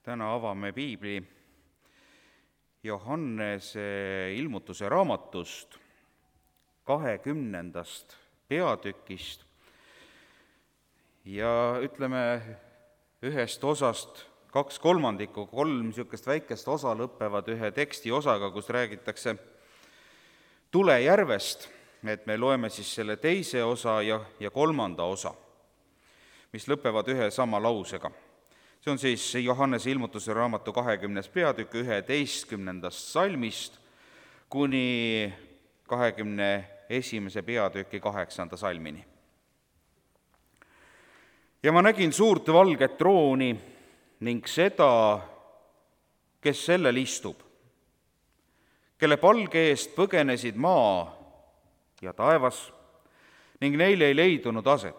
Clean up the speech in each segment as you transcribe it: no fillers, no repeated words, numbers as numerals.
Täna avame piibli Johannese ilmutuse raamatust 20. peatükist ja ütleme ühest osast 2/3, 3 niisugust väikest osa lõpevad ühe teksti osaga, kus räägitakse tulejärvest, et me loeme siis selle teise osa ja 3. osa, mis lõpevad ühe sama lausega. See on siis Johannese ilmutuse raamatu 20. peatükk 11. salmist kuni 21. peatüki 8. salmini. Ja ma nägin suurt valget trooni ning seda, kes sellel istub, kelle palge eest põgenesid maa ja taevas ning neil ei leidunud aset.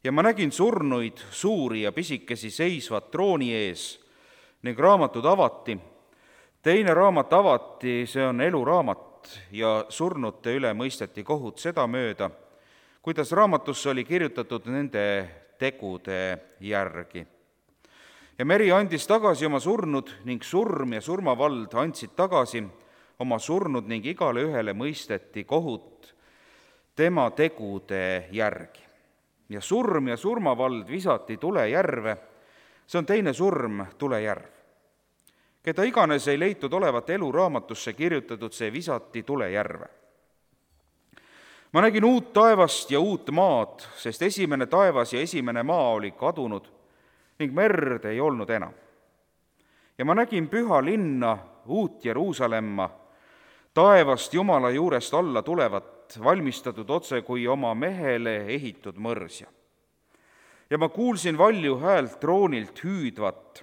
Ja ma nägin surnuid, suuri ja pisikesi seisvat trooni ees ning raamatud avati. Teine raamat avati, see on eluraamat, ja surnute üle mõisteti kohut sedamööda, kuidas raamatusse oli kirjutatud nende tegude järgi. Ja meri andis tagasi oma surnud ning surm ja surmavald andsid tagasi oma surnud ning igale ühele mõisteti kohut tema tegude järgi. Ja surm ja surmavald visati tulejärve, see on teine surm, tulejärv. Keda iganes ei leitud olevat eluraamatusse kirjutatud, see visati tulejärve. Ma nägin uut taevast ja uut maad, sest esimene taevas ja esimene maa oli kadunud ning merd ei olnud enam. Ja ma nägin püha linna, uut Jeruusalemma, taevast Jumala juurest alla tulevat, valmistatud otse kui oma mehele ehitud mõrsja. Ja ma kuulsin valju häält troonilt hüüdvat,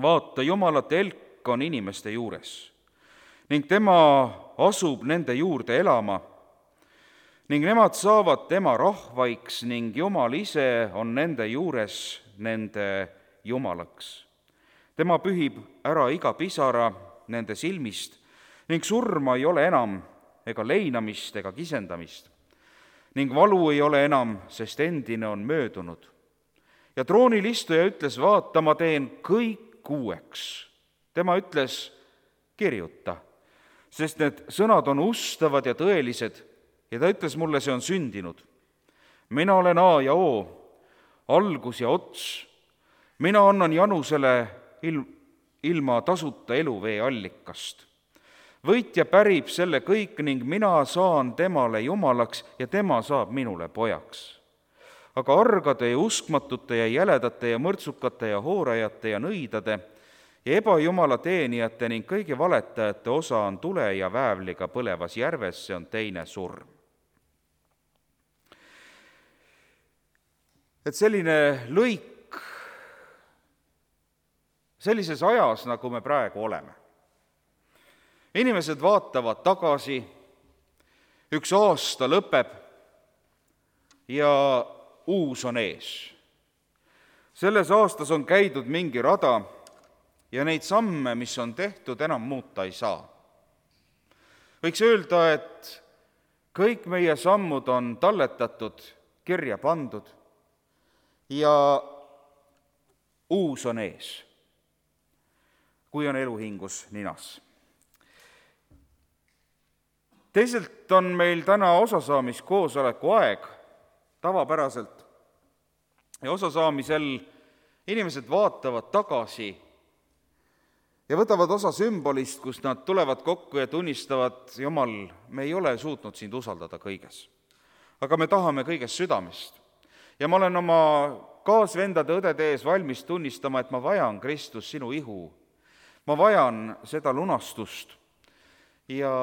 vaata, Jumala telk on inimeste juures ning tema asub nende juurde elama ning nemad saavad tema rahvaiks ning Jumal ise on nende juures nende Jumalaks. Tema pühib ära iga pisara nende silmist ning surma ei ole enam ega leinamist ega kisendamist ning valu ei ole enam, sest endine on möödunud. Ja troonil istuja ütles, vaata, ma teen kõik uueks. Tema ütles, kirjuta, sest need sõnad on ustavad ja tõelised, ja ta ütles mulle, see on sündinud. Mina olen A ja O, algus ja ots. Mina annan Janusele ilma tasuta eluvee allikast. Võitja pärib selle kõik ning mina saan temale Jumalaks ja tema saab minule pojaks. Aga argade ja uskmatute ja jäledate ja mõrtsukate ja hoorajate ja nõidade ja ebajumala teenijate ning kõigi valetajate osa on tule ja väävliga põlevas järves, see on teine surm. Et selline lõik sellises ajas, nagu me praegu oleme. Inimesed vaatavad tagasi, üks aasta lõpeb ja uus on ees. Selles aastas on käidud mingi rada ja neid samme, mis on tehtud, enam muuta ei saa. Võiks öelda, et kõik meie sammud on talletatud, kirja pandud ja uus on ees, kui on eluhingus ninas. Teiselt on meil täna osasaamiskoosoleku aeg tavapäraselt ja osasaamisel inimesed vaatavad tagasi ja võtavad osa sümbolist, kus nad tulevad kokku ja tunnistavad, Jumal, me ei ole suutnud sind usaldada kõiges, aga me tahame kõigest südamest. Ja ma olen oma kaasvendade õdede ees valmis tunnistama, et ma vajan, Kristus, sinu ihu. Ma vajan seda lunastust ja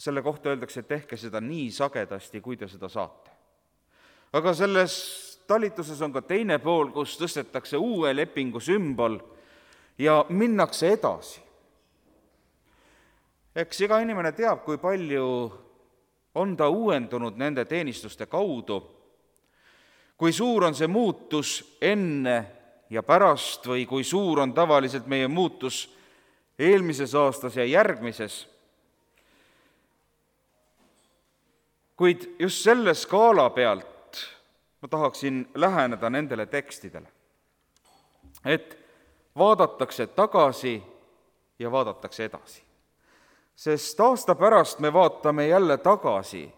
selle kohta öeldakse, et tehke seda nii sagedasti, kui te seda saate. Aga selles talituses on ka teine pool, kus tõstetakse uue lepingu sümbol ja minnakse edasi. Eks iga inimene teab, kui palju on ta uuendunud nende teenistuste kaudu, kui suur on see muutus enne ja pärast või kui suur on tavaliselt meie muutus eelmises aastas ja järgmises. Kuid just selle skaala pealt ma tahaksin läheneda nendele tekstidele. et vaadatakse tagasi ja vaadatakse edasi. Sest aasta pärast me vaatame jälle tagasi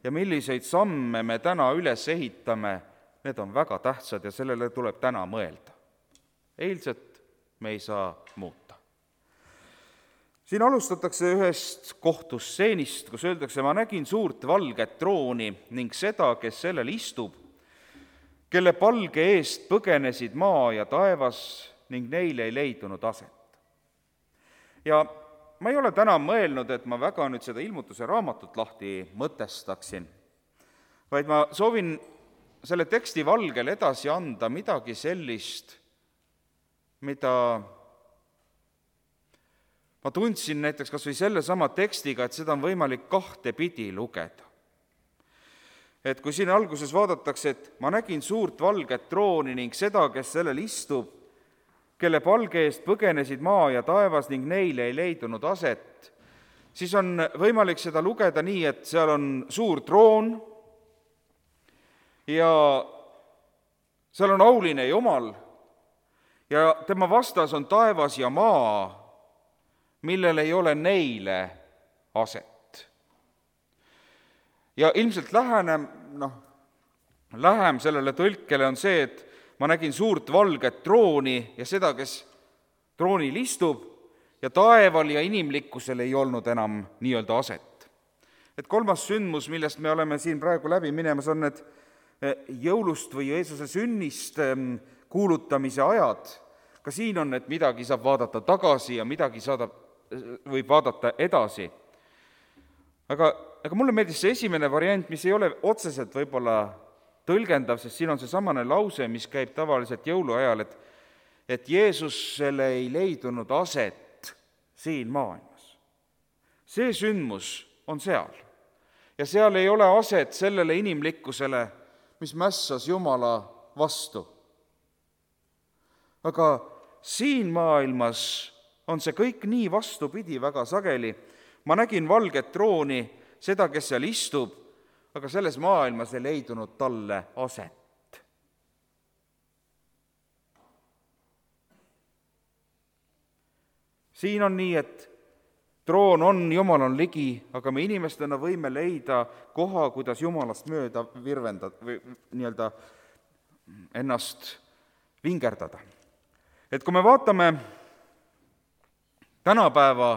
ja milliseid samme me täna üles ehitame, need on väga tähtsad ja sellele tuleb täna mõelda. Eilset me ei saa muuta. Siin alustatakse ühest kohtusseenist, kus öeldakse, ma nägin suurt valget trooni ning seda, kes sellel istub, kelle palge eest põgenesid maa ja taevas ning neil ei leidunud aset. Ja ma ei ole täna mõelnud, et ma väga nüüd seda ilmutuse raamatut lahti mõtestaksin, vaid ma soovin selle teksti valgel edasi anda midagi sellist, mida ma tundsin näiteks kas või sellesama tekstiga, et seda on võimalik kahte pidi lugeda. Et kui siin alguses vaadatakse, et ma nägin suurt valget trooni ning seda, kes sellel istub, kelle palge eest põgenesid maa ja taevas ning neile ei leidunud aset, siis on võimalik seda lugeda nii, et seal on suur troon ja seal on auline Jumal ja tema vastas on taevas ja maa, millel ei ole neile aset. Ja ilmselt lähem sellele tõlkele on see, et ma nägin suurt valget trooni ja seda, kes troonil istub, ja taeval ja inimlikkusel ei olnud enam nii-öelda aset. Et kolmas sündmus, millest me oleme siin praegu läbi minemas, on need jõulust või Jeesuse sünnist kuulutamise ajad. Ka siin on, et midagi saab vaadata tagasi ja midagi võib vaadata edasi. Aga mulle meeldis see esimene variant, mis ei ole otseselt võib-olla tõlgendav, sest siin on see samane lause, mis käib tavaliselt jõuluajal, et Jeesusele ei leidunud aset siin maailmas. See sündmus on seal ja seal ei ole aset sellele inimlikkusele, mis mässas Jumala vastu. Aga siin maailmas on see kõik nii vastupidi väga sageli. Ma nägin valget trooni, seda, kes seal istub, aga selles maailmas ei leidunud talle aset. Siin on nii, et troon on, Jumal on ligi, aga me inimestena võime leida koha, kuidas Jumalast mööda virvendada või nii-öelda ennast vingerdada. Et kui me vaatame tänapäeva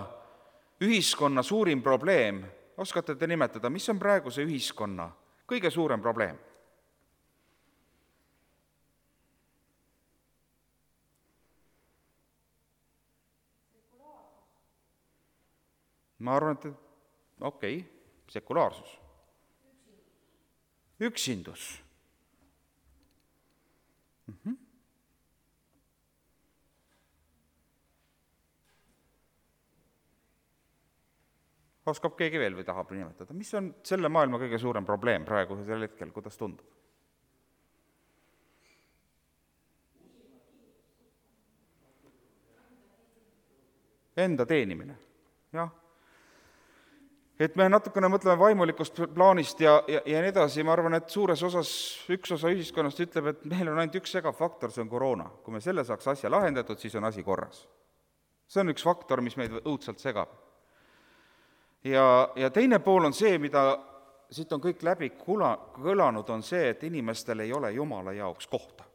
ühiskonna suurim probleem, oskate te nimetada, mis on praeguse ühiskonna kõige suurem probleem? Ma arvan, et sekulaarsus. Üksindus. Oskab keegi veel või tahab nimetada? Mis on selle maailma kõige suurem probleem praegu sel hetkel, kuidas tundub? Enda teenimine, jah. Et me natukene mõtleme vaimulikust plaanist ja nii edasi, ma arvan, et suures osas üks osa ühiskonnast ütleb, et meil on ainult üks segav faktor, see on koroona. Kui me selle saaks asja lahendatud, siis on asi korras. See on üks faktor, mis meid õudselt segab. Ja teine pool on see, mida siit on kõik läbi kõlanud, on see, et inimestel ei ole Jumala jaoks kohta.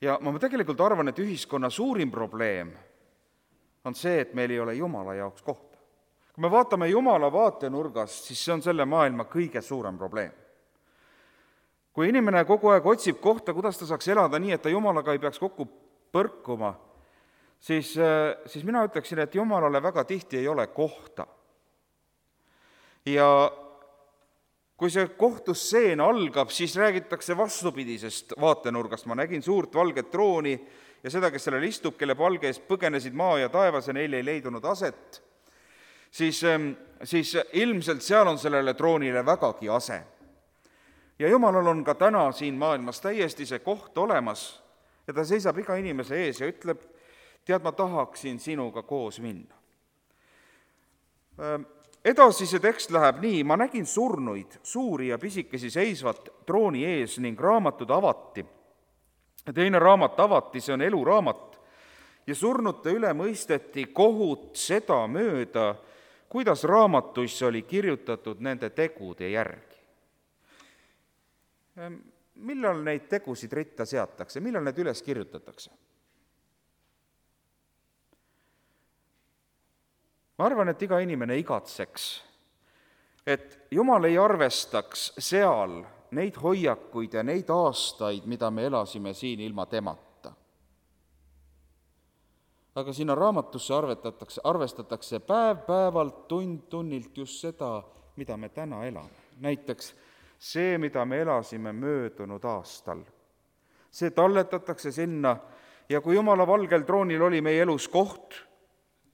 Ja ma tegelikult arvan, et ühiskonna suurim probleem on see, et meil ei ole Jumala jaoks kohta. Kui me vaatame Jumala vaatenurgast, siis see on selle maailma kõige suurem probleem. Kui inimene kogu aeg otsib kohta, kuidas ta saaks elada nii, et ta Jumalaga ei peaks kokku põrkuma, siis mina ütleksin, et Jumalale väga tihti ei ole kohta. Ja kui see kohtusseen algab, siis räägitakse vastupidisest vaatenurgast. Ma nägin suurt valget trooni ja seda, kes sellel istub, kelle palge eest põgenesid maa ja taevas ja neil ei leidunud aset, siis ilmselt seal on sellele troonile vägagi ase. Ja Jumalal on ka täna siin maailmas täiesti see koht olemas ja ta seisab iga inimese ees ja ütleb, tead, ma tahaksin sinuga koos minna. Edasi see tekst läheb nii, ma nägin surnuid, suuri ja pisikesi seisvat trooni ees ning raamatud avati teine raamat avati, see on eluraamat, ja surnute üle mõisteti kohut seda mööda, kuidas raamatuisse oli kirjutatud nende tegude järgi. Millal neid tegusid ritta seatakse, millal need üles kirjutatakse? Ma arvan, et iga inimene igatseks, et Jumal ei arvestaks seal neid hoiakuid ja neid aastaid, mida me elasime siin ilma temata. Aga sinna raamatusse arvestatakse päev-päevalt, tund-tunnilt just seda, mida me täna elame. Näiteks see, mida me elasime möödunud aastal. See talletatakse sinna ja kui Jumala valgel troonil oli meie elus koht,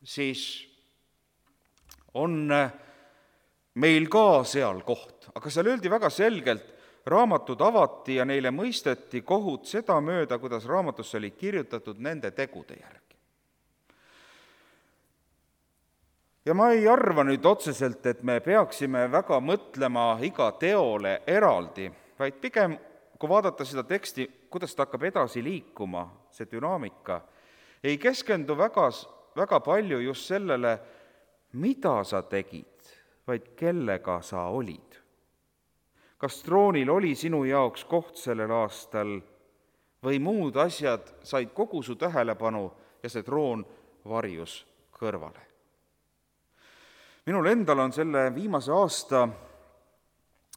siis on meil ka seal koht. Aga seal öeldi väga selgelt, raamatud avati ja neile mõisteti kohut seda mööda, kuidas raamatusse oli kirjutatud nende tegude järgi. Ja ma ei arva nüüd otseselt, et me peaksime väga mõtlema iga teole eraldi, vaid pigem, kui vaadata seda teksti, kuidas ta hakkab edasi liikuma, see dünaamika, ei keskendu väga palju just sellele, mida sa tegid, vaid kellega sa olid. Kas troonil oli sinu jaoks koht sellel aastal või muud asjad said kogu su tähelepanu ja see troon varjus kõrvale. Minul endal on selle viimase aasta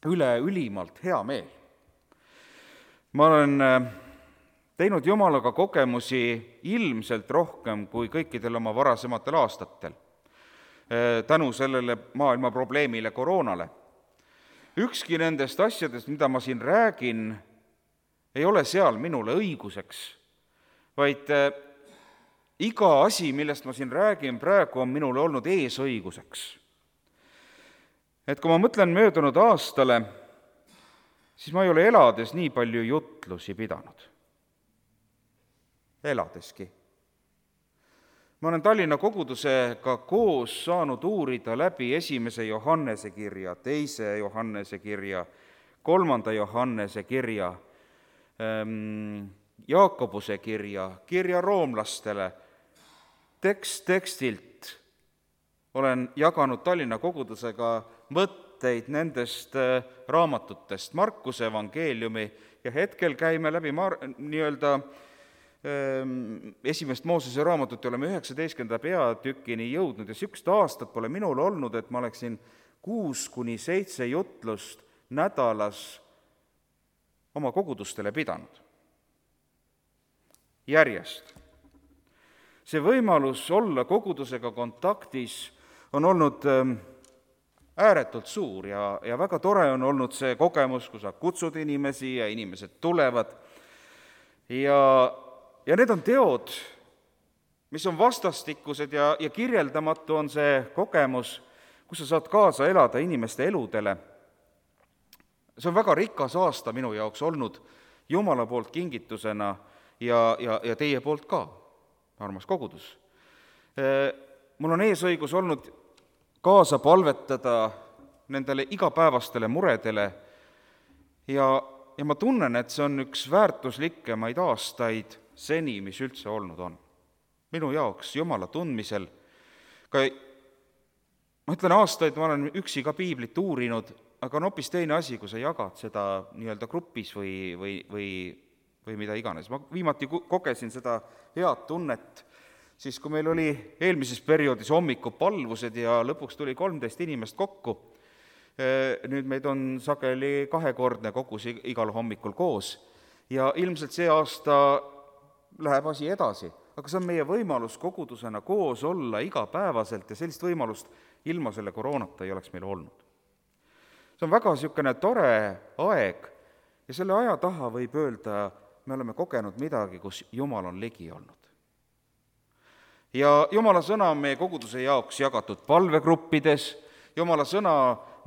üle ülimalt hea meel. Ma olen teinud Jumalaga kogemusi ilmselt rohkem kui kõikidel oma varasematel aastatel, tänu sellele maailma probleemile koroonale. Ükski nendest asjadest, mida ma siin räägin, ei ole seal minule õiguseks, vaid iga asi, millest ma siin räägin praegu, on minule olnud eesõiguseks. Et kui ma mõtlen möödunud aastale, siis ma ei ole elades nii palju jutlusi pidanud. Eladeski. Ma olen Tallinna kogudusega koos saanud uurida läbi 1. Johannese kirja, 2. Johannese kirja, 3. Johannese kirja, Jaakobuse kirja roomlastele, tekstilt olen jaganud Tallinna kogudusega mõtteid nendest raamatutest, Markuse evangeeliumi, ja hetkel käime läbi esimest Moosese raamatut ja oleme 19. peatükini jõudnud ja sükst aastat pole minul olnud, et ma oleksin 6-7 jutlust nädalas oma kogudustele pidanud. Järjest. See võimalus olla kogudusega kontaktis on olnud ääretult suur ja väga tore on olnud see kogemus, kui sa kutsud inimesi ja inimesed tulevad. Ja need on teod, mis on vastastikused ja kirjeldamatu on see kogemus, kus sa saad kaasa elada inimeste eludele. See on väga rikas aasta minu jaoks olnud Jumala poolt kingitusena ja teie poolt ka, armas kogudus. Mul on eesõigus olnud kaasa palvetada nendele igapäevastele muredele ja ma tunnen, et see on üks väärtuslikkemaid aastaid seni, mis üldse olnud on. Minu jaoks Jumala tundmisel, ma ütlen aastaid, ma olen üksi ka piiblit uurinud, aga on hoopis teine asi, kui sa jagad seda nii-öelda grupis või mida iganes. Ma viimati kogesin seda head tunnet, siis kui meil oli eelmises perioodis hommikupalvused ja lõpuks tuli 13 inimest kokku. Nüüd meid on sageli 2-kordne kogus igal hommikul koos ja ilmselt see aasta läheb asi edasi, aga see on meie võimalus kogudusena koos olla igapäevaselt ja sellist võimalust ilma selle koroonata ei oleks meil olnud. See on väga niisugune tore aeg ja selle aja taha võib öelda, me oleme kogenud midagi, kus Jumal on ligi olnud. Ja Jumala sõna on meie koguduse jaoks jagatud palvegruppides, Jumala sõna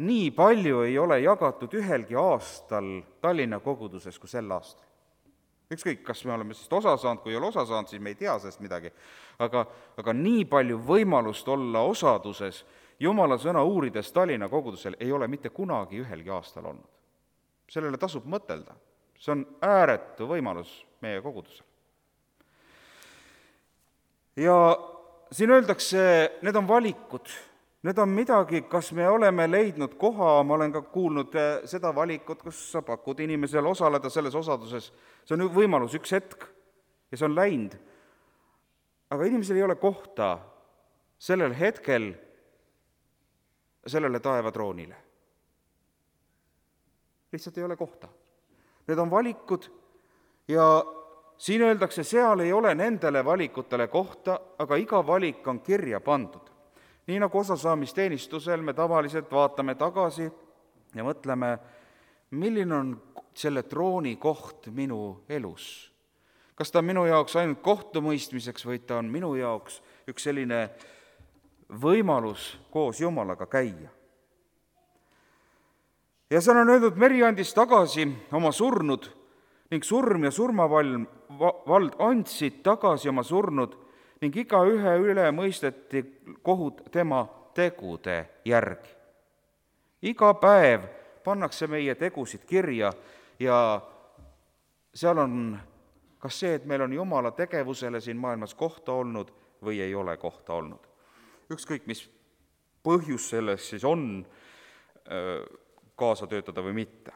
nii palju ei ole jagatud ühelgi aastal Tallinna koguduses kui sel aastal. Ükskõik, kas me oleme sellest osa saanud, kui ei ole osa saanud, siis me ei tea sellest midagi. Aga nii palju võimalust olla osaduses Jumala sõna uurides Tallinna kogudusel ei ole mitte kunagi ühelgi aastal olnud. Sellele tasub mõtelda. See on ääretu võimalus meie kogudusel. Ja siin öeldakse, need on valikud, need on midagi, kas me oleme leidnud koha, ma olen ka kuulnud seda valikut, kus sa pakud inimesel osaleda selles osaduses, see on võimalus, üks hetk ja see on läinud. Aga inimesel ei ole kohta sellel hetkel sellele taevatroonile. Lihtsalt ei ole kohta. Need on valikud ja siin öeldakse, seal ei ole nendele valikutele kohta, aga iga valik on kirja pandud. Nii nagu osasaamisteenistusel me tavaliselt vaatame tagasi ja mõtleme, milline on selle trooni koht minu elus. Kas ta on minu jaoks ainult kohtumõistmiseks või ta on minu jaoks üks selline võimalus koos Jumalaga käia. Ja seal on öeldud, Meri andis tagasi oma surnud ning surm ja surmavald andsid tagasi oma surnud ning igaühe üle mõisteti kohut tema tegude järgi. Iga päev pannakse meie tegusid kirja ja seal on kas see, et meil on Jumala tegevusele siin maailmas kohta olnud või ei ole kohta olnud. Ükskõik, mis põhjus selles siis on kaasa töötada või mitte.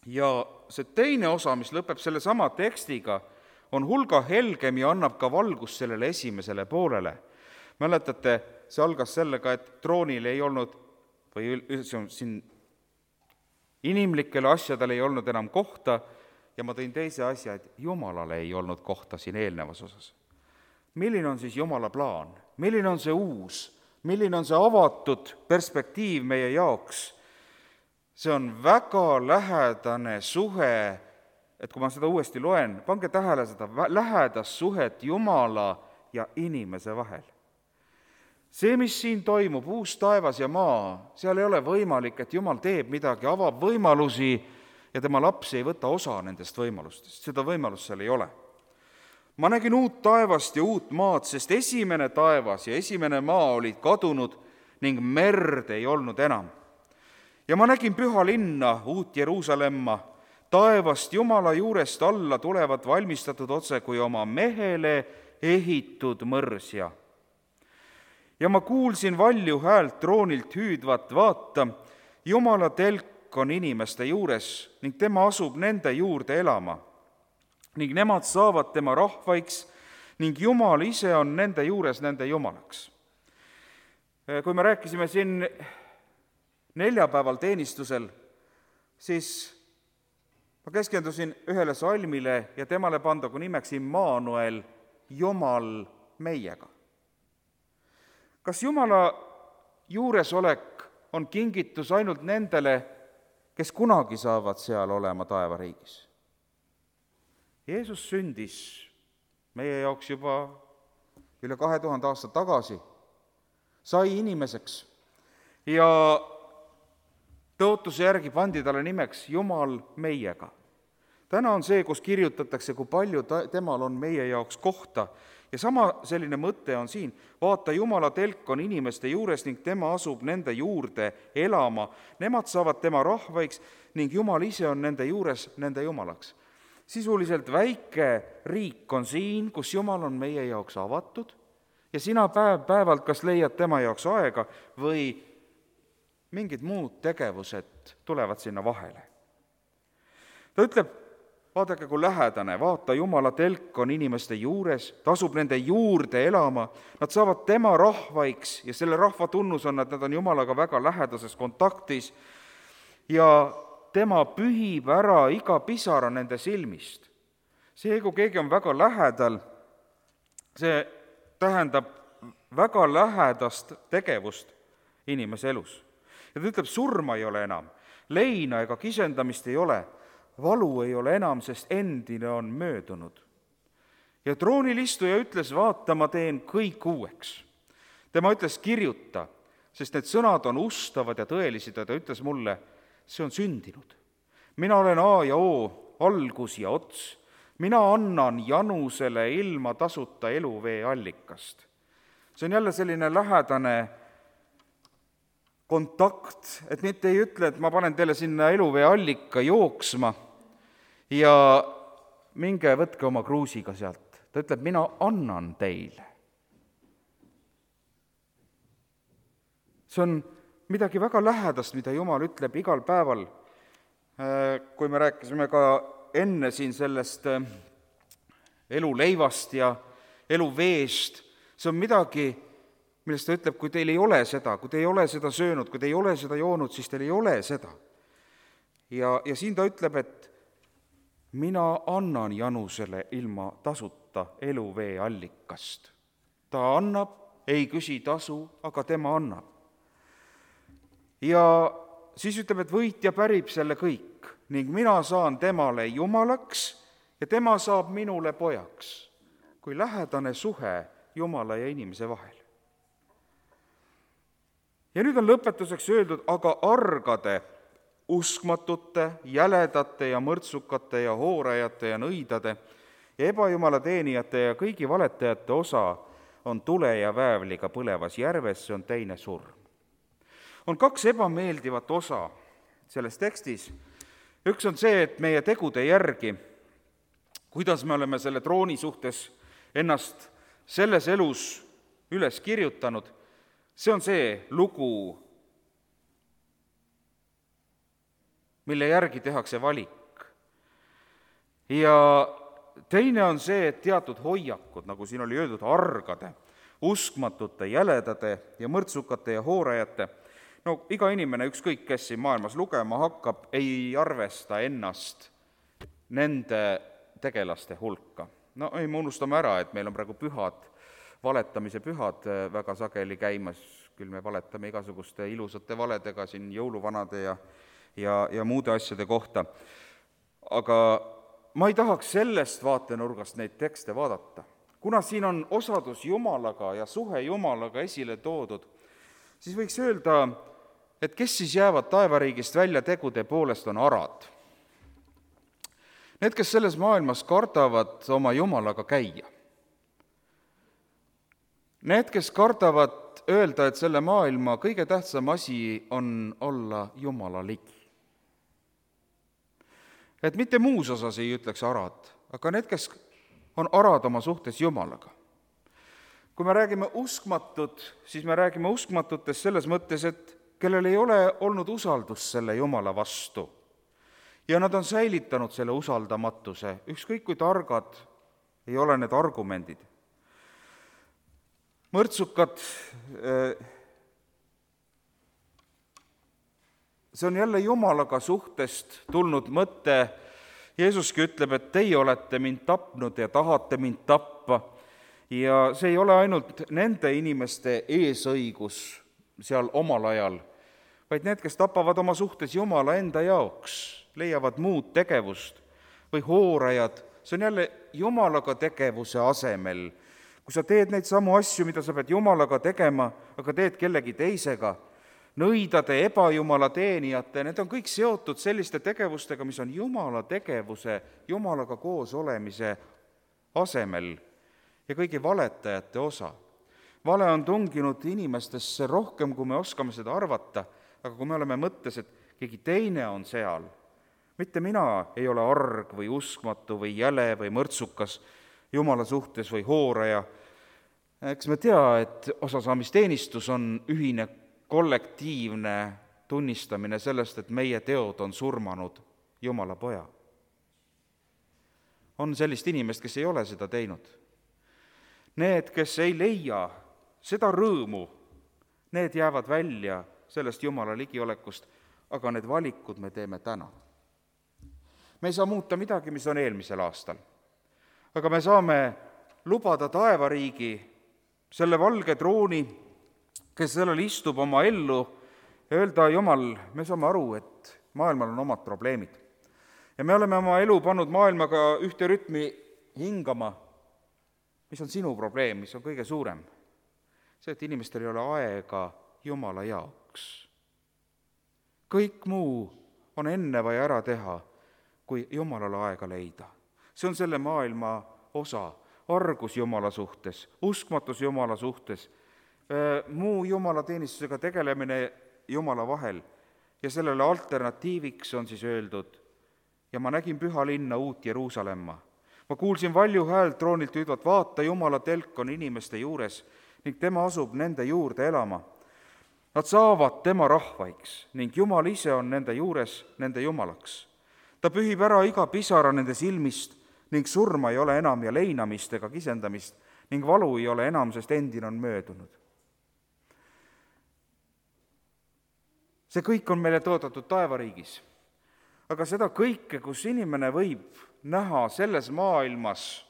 Ja see teine osa, mis lõpeb selle sama tekstiga, on hulga helgem ja annab ka valgust sellele esimesele poolele. Mäletate, see algas sellega, et troonil ei olnud, või siin inimlikele asjadele ei olnud enam kohta, ja ma tõin teise asja, et Jumalale ei olnud kohta siin eelnevas osas. Milline on siis Jumala plaan? Milline on see uus? Milline on see avatud perspektiiv meie jaoks? See on väga lähedane suhe, et kui ma seda uuesti loen, pange tähele seda lähedast suhet Jumala ja inimese vahel. See, mis siin toimub, uus taevas ja maa, seal ei ole võimalik, et Jumal teeb midagi, avab võimalusi ja tema laps ei võta osa nendest võimalustest. Seda võimalust seal ei ole. Ma nägin uut taevast ja uut maad, sest esimene taevas ja esimene maa olid kadunud ning merd ei olnud enam. Ja ma nägin püha linna, uut Jeruusalemma, taevast Jumala juurest alla tulevat valmistatud otse kui oma mehele ehitud mõrsja. Ja ma kuulsin valju häält troonilt hüüdvat, vaata, Jumala telk on inimeste juures ning tema asub nende juurde elama. Ning nemad saavad tema rahvaiks ning Jumal ise on nende juures nende Jumalaks. Kui me rääkisime siin neljapäeval teenistusel, siis ma keskendusin ühele salmile ja temale pandagu nimeks Immanuel, Jumal meiega. Kas Jumala juuresolek on kingitus ainult nendele, kes kunagi saavad seal olema taevariigis? Jeesus sündis meie jaoks juba üle 2000 aastat tagasi, sai inimeseks ja tõotuse järgi pandi talle nimeks Jumal meiega. Täna on see, kus kirjutatakse, kui palju temal on meie jaoks kohta. Ja sama selline mõte on siin. Vaata, Jumala telk on inimeste juures ning tema asub nende juurde elama. Nemad saavad tema rahvaiks ning Jumal ise on nende juures nende Jumalaks. Sisuliselt väike riik on siin, kus Jumal on meie jaoks avatud ja sina päevalt kas leiad tema jaoks aega või mingid muud tegevused tulevad sinna vahele. Ta ütleb, vaadake kui lähedane, vaata, Jumala telk on inimeste juures, ta asub nende juurde elama, nad saavad tema rahvaiks ja selle rahva tunnus on, et nad on Jumalaga väga lähedases kontaktis ja tema pühib ära iga pisara nende silmist. See, kui keegi on väga lähedal, see tähendab väga lähedast tegevust inimese elus. Ja ta ütleb, surma ei ole enam, leina ega kisendamist ei ole, valu ei ole enam, sest endine on möödunud. Ja troonilistuja ütles, vaata, ma teen kõik uueks. Tema ütles, kirjuta, sest need sõnad on ustavad ja tõelised ja ta ütles mulle, see on sündinud. Mina olen A ja O, algus ja ots. Mina annan janusele ilma tasuta eluvee allikast. See on jälle selline lähedane kontakt, et mitte ei ütle, et ma panen teile sinna eluvee allika jooksma ja minge võtke oma kruusiga sealt. Ta ütleb, mina annan teile. See on midagi väga lähedast, mida Jumal ütleb igal päeval. Kui me rääkisime ka enne siin sellest eluleivast ja eluveest, see on midagi, millest ta ütleb, kui teil ei ole seda, kui te ei ole seda söönud, kui te ei ole seda joonud, siis teil ei ole seda. Ja siin ta ütleb, et mina annan Janusele ilma tasuta eluvee allikast. Ta annab, ei küsi tasu, aga tema annab. Ja siis ütleb, et võitja pärib selle kõik ning mina saan temale jumalaks ja tema saab minule pojaks, kui lähedane suhe Jumala ja inimese vahel. Ja nüüd on lõpetuseks öeldud, aga argade, uskmatute, jäledate ja mõrtsukate ja hoorajate ja nõidade ja ebajumala teenijate ja kõigi valetajate osa on tule ja väävliga põlevas järves, see on teine surm. On kaks ebameeldivat osa selles tekstis. Üks on see, et meie tegude järgi, kuidas me oleme selle trooni suhtes ennast selles elus üles kirjutanud, see on see lugu, mille järgi tehakse valik. Ja teine on see, et teatud hoiakud, nagu siin oli öeldud, argade, uskmatute, jäledade ja mõrtsukate ja hoorajate, no iga inimene, ükskõik kes siin maailmas lugema hakkab, ei arvesta ennast nende tegelaste hulka. No ei, me unustame ära, et meil on praegu pühad, valetamise pühad väga sageli käimas, küll me valetame igasuguste ilusate valedega siin jõuluvanade ja muude asjade kohta. Aga ma ei tahaks sellest vaatenurgast neid tekste vaadata. Kuna siin on osadus Jumalaga ja suhe Jumalaga esile toodud, siis võiks öelda, et kes siis jäävad taevariigist välja tegude poolest, on arad. Need, kes selles maailmas kardavad oma Jumalaga käia. Need, kes kardavad öelda, et selle maailma kõige tähtsam asi on olla Jumala ligi. Et mitte muus osas ei ütleks arad, aga need, kes on arad oma suhtes Jumalaga. Kui me räägime uskmatud, siis me räägime uskmatutest selles mõttes, et kellel ei ole olnud usaldust selle Jumala vastu. Ja nad on säilitanud selle usaldamatuse, ükskõik kui targad ei ole need argumendid. Mõrtsukad, see on jälle Jumalaga suhtest tulnud mõte. Jeesuski ütleb, et teie olete mind tapnud ja tahate mind tappa. Ja see ei ole ainult nende inimeste eesõigus seal omal ajal, vaid need, kes tapavad oma suhtes Jumala enda jaoks, leiavad muud tegevust või hoorajad, see on jälle Jumalaga tegevuse asemel. Kui sa teed neid samu asju, mida sa pead Jumalaga tegema, aga teed kellegi teisega, nõidade, ebajumala teenijate, need on kõik seotud selliste tegevustega, mis on Jumala tegevuse, Jumalaga koos olemise asemel ja kõigi valetajate osa. Vale on tunginud inimestesse rohkem, kui me oskame seda arvata, aga kui me oleme mõttes, et keegi teine on seal, mitte mina ei ole arg või uskmatu või jäle või mõrtsukas Jumala suhtes või hooraja, eks me tea, et osasaamisteenistus on ühine kollektiivne tunnistamine sellest, et meie teod on surmanud Jumala poja. On sellist inimest, kes ei ole seda teinud. Need, kes ei leia seda rõõmu, need jäävad välja sellest Jumala ligiolekust, aga need valikud me teeme täna. Me ei saa muuta midagi, mis on eelmisel aastal, aga me saame lubada taevariigi, selle valge trooni, kes sellel istub oma ellu, ja öelda, Jumal, me saame aru, et maailmal on omad probleemid. Ja me oleme oma elu pannud maailmaga ühte rütmi hingama, mis on sinu probleem, mis on kõige suurem. See, et inimestel ei ole aega Jumala jaoks. Kõik muu on enne vaja ära teha, kui Jumalale aega leida. See on selle maailma osa, argus Jumala suhtes, uskmatus Jumala suhtes, muu Jumala teenistusega tegelemine Jumala vahel ja sellele alternatiiviks on siis öeldud, ja ma nägin püha linna, uut Jeruusalemma. Ma kuulsin valju häält troonilt hüüdvat, vaata, Jumala telk on inimeste juures ning tema asub nende juurde elama. Nad saavad tema rahvaiks ning Jumal ise on nende juures nende Jumalaks. Ta pühib ära iga pisara nende silmist ning surma ei ole enam ja leinamist ega kisendamist ning valu ei ole enam, sest endine on möödunud. See kõik on meile toodetud taevariigis. Aga seda kõike, kus inimene võib näha selles maailmas,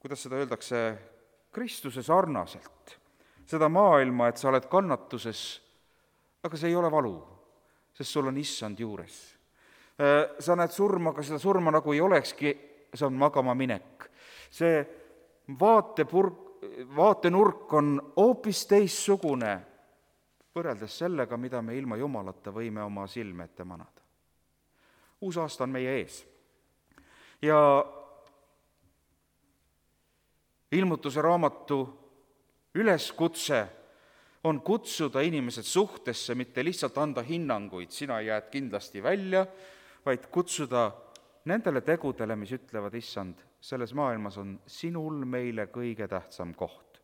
kuidas seda öeldakse, Kristuse sarnaselt, seda maailma, et sa oled kannatuses, aga see ei ole valu, sest sul on issand juures. Sa näed surma, aga seda surma nagu ei olekski, see on magama minek. See vaatenurk on hoopis teissugune võrreldes sellega, mida me ilma Jumalata võime oma silme ette manada. Uus aasta on meie ees. Ja ilmutuse raamatu üleskutse on kutsuda inimesed suhtesse, mitte lihtsalt anda hinnanguid, sina jääd kindlasti välja, vaid kutsuda nendele tegudele, mis ütlevad, issand, selles maailmas on sinul meile kõige tähtsam koht.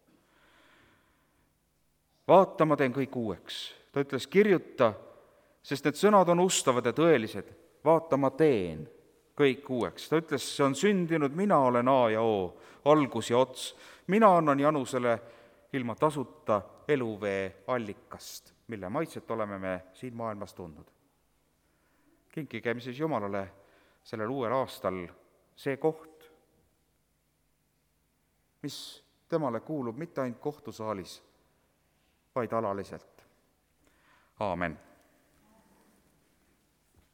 Vaata, ma teen kõik uueks. Ta ütles, kirjuta, sest need sõnad on ustavad ja tõelised. Vaata, ma teen kõik uueks. Ta ütles, see on sündinud, mina olen A ja O, algus ja ots. Mina annan Janusele ilma tasuta eluvee allikast, mille maitset oleme me siin maailmas tundnud. Kinkigem siis Jumalale sellel uuel aastal see koht, mis temale kuulub mitte ainult kohtusaalis, vaid alaliselt. Aamen.